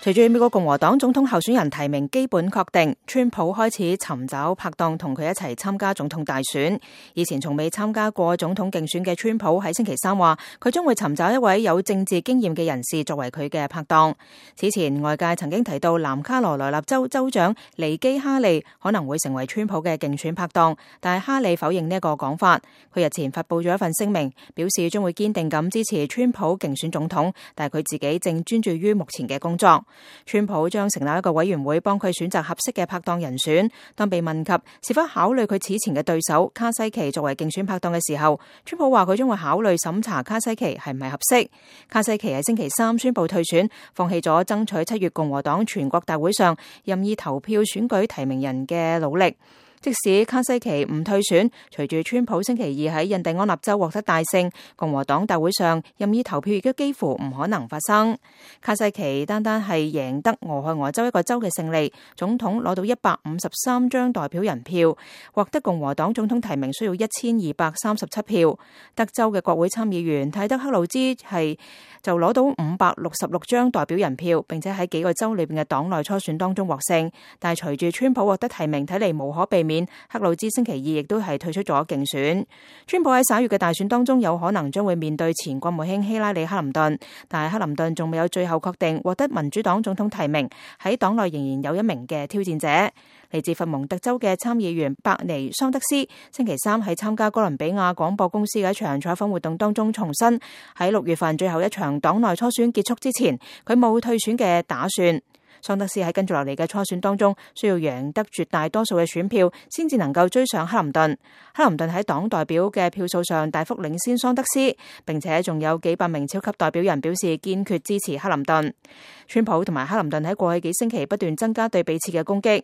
隨住美國共和黨總統候選人提名基本確定，川普開始尋找拍檔同佢一齊參加總統大選。以前從未參加過總統競選嘅川普喺星期三話，佢將會尋找一位有政治經驗嘅人士作為佢嘅拍檔。此前外界曾經提到南卡羅來納州州長尼基哈利可能會成為川普嘅競選拍檔，但係哈利否認呢一個講法。佢日前發佈咗一份聲明，表示將會堅定咁支持川普競選總統，但係佢自己正專注於目前嘅工作。川普將成立一個委員會幫佢選擇合適嘅拍檔人選。當被問及是否考慮佢此前嘅對手卡西奇作為競選拍檔嘅時候，川普話佢將會考慮審查卡西奇係唔係合適。卡西奇喺星期三宣布退選，放棄咗爭取7月共和黨全國大會上任意投票選舉提名人嘅努力。即使卡西奇唔退選，隨住川普星期二喺印第安納州獲得大勝，共和黨大會上任意投票亦都幾乎唔可能發生。卡西奇單係贏得俄亥俄州一個州嘅勝利，總統攞到153張代表人票，獲得共和黨總統提名需要1237票。德州嘅國會參議員泰德克魯茲就攞到566張代表人票，並且喺幾個州裏邊嘅黨內初選當中獲勝。但係隨住川普獲得提名，睇嚟無可避免，克魯茲星期二亦都係退出咗競選。川普喺11月嘅大選當中有可能將會面對前國務卿希拉里克林頓，但係克林頓仲未有最後確定獲得民主黨總統提名，喺黨內仍然有一名嘅挑戰者。嚟自佛蒙特州嘅參議員伯尼桑德斯星期三喺參加哥倫比亞廣播公司嘅一場採訪活動當中重申，喺6月份最後一場黨內初選結束之前，佢冇退選嘅打算。桑德斯喺跟住落嚟嘅初選當中，需要贏得絕大多數嘅選票，先至能夠追上克林頓。克林頓喺黨代表嘅票數上大幅領先桑德斯，並且仲有幾百名超級代表人表示堅決支持克林頓。川普同埋克林頓喺過去幾星期不斷增加對彼此嘅攻擊。